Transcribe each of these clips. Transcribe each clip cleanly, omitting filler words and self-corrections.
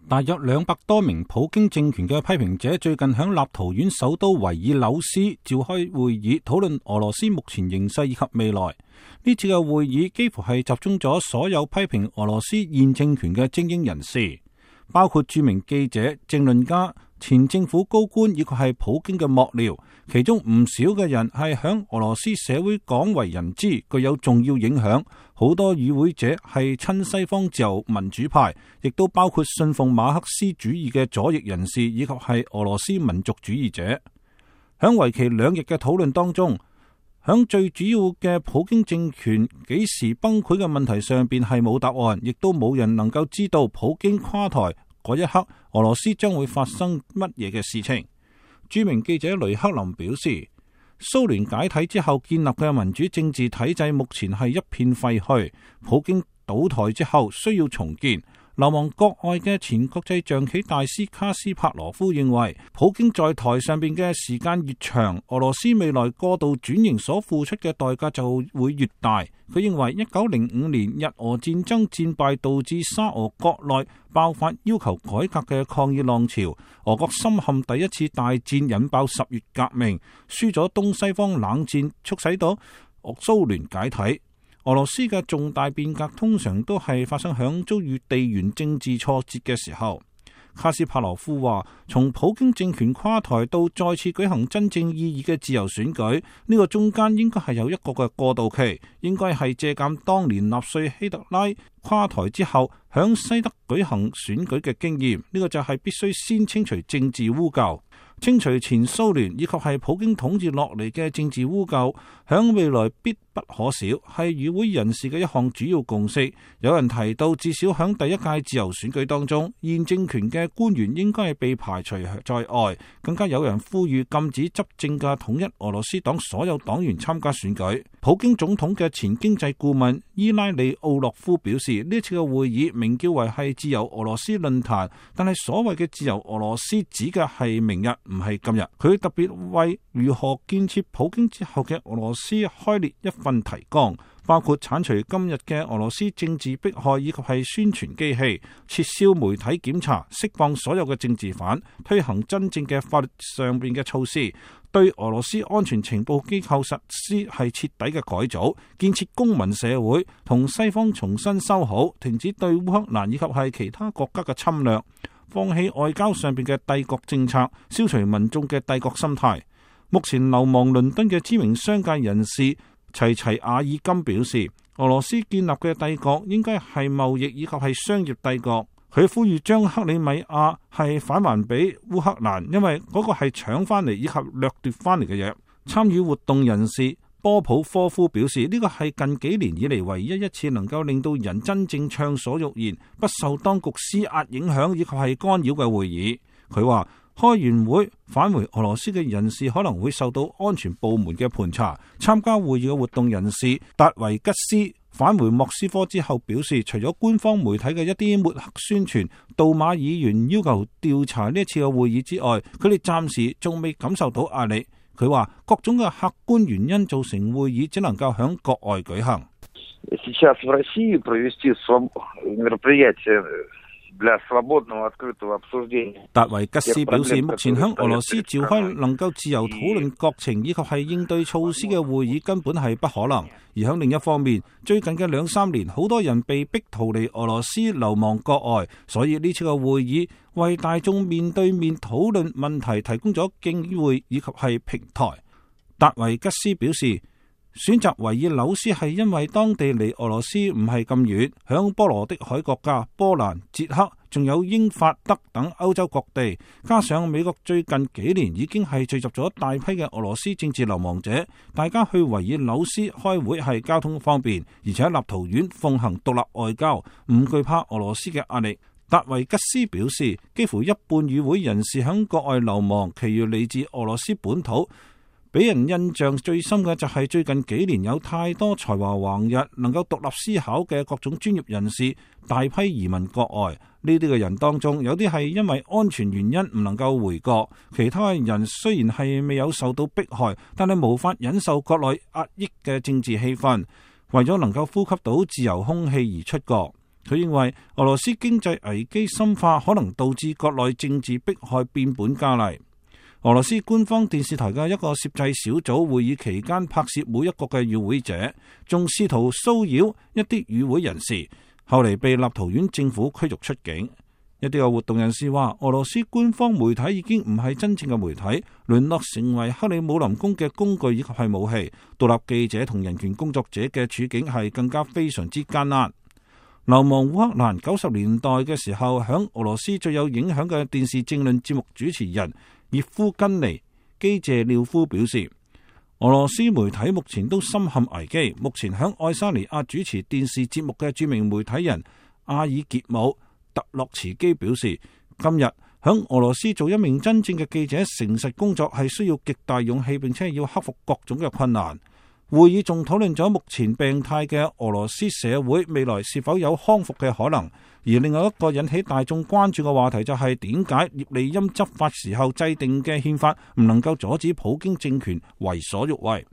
大約200多名普京政權嘅批評者最近響立陶宛首都維爾紐斯召開會議，討論俄羅斯目前形勢以及未來。呢次嘅會議幾乎係集中咗所有批評俄羅斯現政權嘅精英人士，包括著名記者、政論家、前政府高官以及係普京嘅幕僚，其中唔少嘅人係響俄羅斯社會廣為人知，具有重要影響。好多與會者係親西方自由民主派，亦都包括信奉馬克思主義嘅左翼人士以及係俄羅斯民族主義者。響為期2日嘅討論當中，響最主要嘅普京政權幾時崩潰嘅問題上邊係冇答案，亦都冇人能夠知道普京垮台嗰一刻俄羅斯將會發生乜嘢嘅事情。著名記者雷克林表示，蘇聯解體之後建立嘅民主政治體制目前係一片廢墟，普京倒台之後需要重建。流亡國外嘅前國際象棋大師卡斯帕羅夫認為，普京在台上邊嘅時間越長，俄羅斯未來過度轉型所付出嘅代價就會越大。佢認為1905年日俄戰爭戰敗導致沙俄國內爆發要求改革嘅抗議浪潮，俄國深陷第一次大戰，引爆10月革命，輸咗東西方冷戰，促使到蘇聯解體。俄羅斯嘅重大變革通常都係發生響遭遇地緣政治挫折嘅時候。卡斯帕羅夫話，從普京政權垮台到再次舉行真正意義嘅自由選舉，呢個中間應該係有一個嘅過渡期，應該係借鑒當年納粹希特拉垮台之後響西德舉行選舉嘅經驗。呢個就係必須先清除政治污垢，清除前蘇聯以及係普京統治落嚟嘅政治污垢，響未來必不可少，係與會人士嘅一項主要共識。有人提到，至少響第一屆自由選舉當中，現政權嘅官員應該係被排除在外。更加有人呼籲禁止執政嘅統一俄羅斯黨所有黨員參加選舉。普京總統嘅前經濟顧問伊拉里奧洛夫表示，呢次嘅會議名叫為係自由俄羅斯論壇，但係所謂嘅自由俄羅斯指嘅係明日，唔係今日。佢特別為如何建設普京之後嘅俄羅斯開列一份提綱，包括鏟除今日嘅俄羅斯政治迫害以及係宣傳機器，撤銷媒體檢查，釋放所有嘅政治犯，推行真正嘅法律上邊嘅措施，對俄羅斯安全情報機構實施係徹底嘅改組，建設公民社會，同西方重新修好，停止對烏克蘭以及係其他國家嘅侵略，放棄外交上邊嘅帝國政策，消除民眾嘅帝國心態。目前流亡倫敦嘅知名商界人士齊齊亞爾金表示，俄羅斯建立嘅帝國應該係貿易以及係商業帝國。佢呼籲將克里米亞係返還俾烏克蘭，因為嗰個係搶翻嚟以及掠奪翻嚟嘅嘢。參與活動人士波普科夫表示，呢個係近幾年以嚟唯一一次能夠令到人真正暢所欲言，不受當局施壓影響以及係干擾嘅會議。佢話，開完會返回俄羅斯嘅人士可能會受到安全部門嘅盤查。參加會議嘅活動人士達維吉斯返回莫斯科之後表示，除咗官方媒體嘅一啲抹黑宣傳，杜馬議員要求調查呢一次嘅會議之外，佢哋暫時仲未感受到壓力。佢話各種嘅客觀原因造成會議只能夠響國外舉行。達維吉斯表示，目前響俄羅斯召開能夠自由討論國情以及係應對措施嘅會議根本係不可能。而響另一方面，最近嘅2-3年，好多人被逼逃離俄羅斯流亡國外，所以呢次嘅會議為大眾面對面討論問題提供咗機會以及係平台。達維吉斯表示，選擇維爾紐斯係因為當地離俄羅斯唔係咁遠，響波羅的海國家波蘭、捷克，仲有英法德等歐洲各地，加上美國最近幾年已經係聚集咗大批嘅俄羅斯政治流亡者，大家去維爾紐斯開會係交通方便，而且立陶宛奉行獨立外交，唔懼怕俄羅斯嘅壓力。達維吉斯表示，幾乎一半與會人士響國外流亡，其餘嚟自俄羅斯本土。俾人印象最深嘅就係最近幾年有太多才華橫溢、能夠獨立思考嘅各種專業人士大批移民國外。呢啲嘅人當中，有啲係因為安全原因唔能夠回國，其他人雖然係未有受到迫害，但係無法忍受國內壓抑嘅政治氣氛，為咗能夠呼吸到自由空氣而出國。佢認為俄羅斯經濟危機深化可能導致國內政治迫害變本加厲。俄羅斯官方電視台嘅一個攝製小組會議期間拍攝每一個嘅與會者，仲試圖騷擾一啲與會人士，後嚟被立陶宛政府驅逐出境。一啲嘅活動人士話，俄羅斯官方媒體已經唔係真正嘅媒體，淪落成為克里姆林宮嘅工具以及係武器。獨立記者同人權工作者嘅處境係更加非常之艱難。流亡烏克蘭90年代嘅時候，響俄羅斯最有影響嘅電視政論節目主持人葉夫根尼基謝廖夫表示，俄羅斯媒體目前都深陷危機。目前響愛沙尼亞主持電視節目嘅著名媒體人阿爾傑姆特洛茨基表示，今日響俄羅斯做一名真正嘅記者，誠實工作係需要極大勇氣，並且要克服各種嘅困難。會議仲討論咗目前病態嘅俄羅斯社會未來是否有康復嘅可能。而另外一個引起大眾關注嘅話題就係點解葉利欽執法時候制定嘅憲法唔能夠阻止普京政權為所欲為。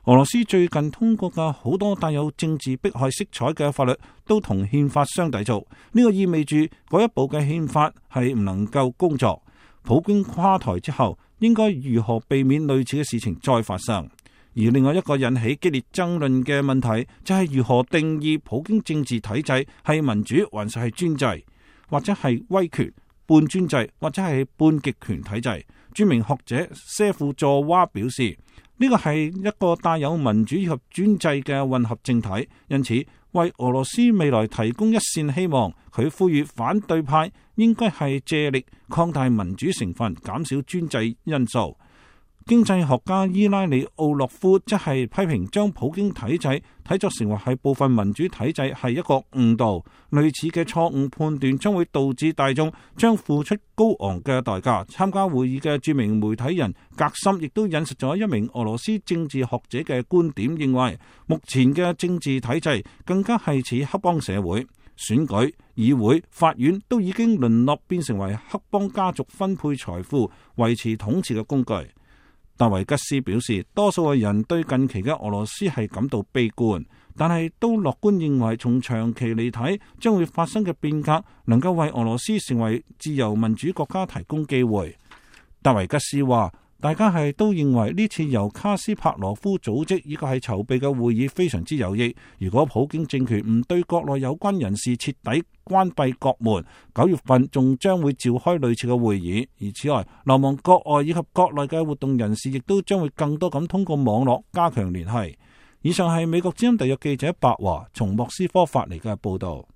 俄羅斯最近通過嘅好多帶有政治迫害色彩嘅法律都同憲法相抵觸，呢個意味住嗰一部嘅憲法係唔能夠工作。普京垮台之後，應該如何避免類似嘅事情再發生？而另外一個引起激烈爭論嘅問題就係如何定義普京政治體制係民主還是係專制，或者係威權、半專制或者係半極權體制。著名學者謝夫佐娃表示，呢個係一個帶有民主及專制嘅混合政體，因此為俄羅斯未來提供一線希望。佢呼籲反對派應該係借力擴大民主成分，減少專制因素。經濟學家伊拉里奧洛夫即係批評將普京體制睇作成為係部分民主體制係一個誤導，類似嘅錯誤判斷將會導致大眾將付出高昂嘅代價。參加會議嘅著名媒體人格森亦都引述咗一名俄羅斯政治學者嘅觀點，認為目前嘅政治體制更加係似黑幫社會，選舉、議會、法院都已經淪落變成為黑幫家族分配財富、維持統治嘅工具。達維吉斯表示，多數嘅人對近期嘅俄羅斯係感到悲觀，但係都樂觀認為從長期嚟睇，將會發生嘅變革能夠為俄羅斯成為自由民主國家提供機會。達維吉斯話，大家係都認為呢次由卡斯帕羅夫組織以及係籌備嘅會議非常之有益。如果普京政權唔對國內有關人士徹底關閉國門，9月份仲將會召開類似嘅會議。而此外，流亡國外以及國內嘅活動人士亦都將會更多咁通過網絡加強聯繫。以上係美國之音特約記者白華從莫斯科發嚟嘅報道。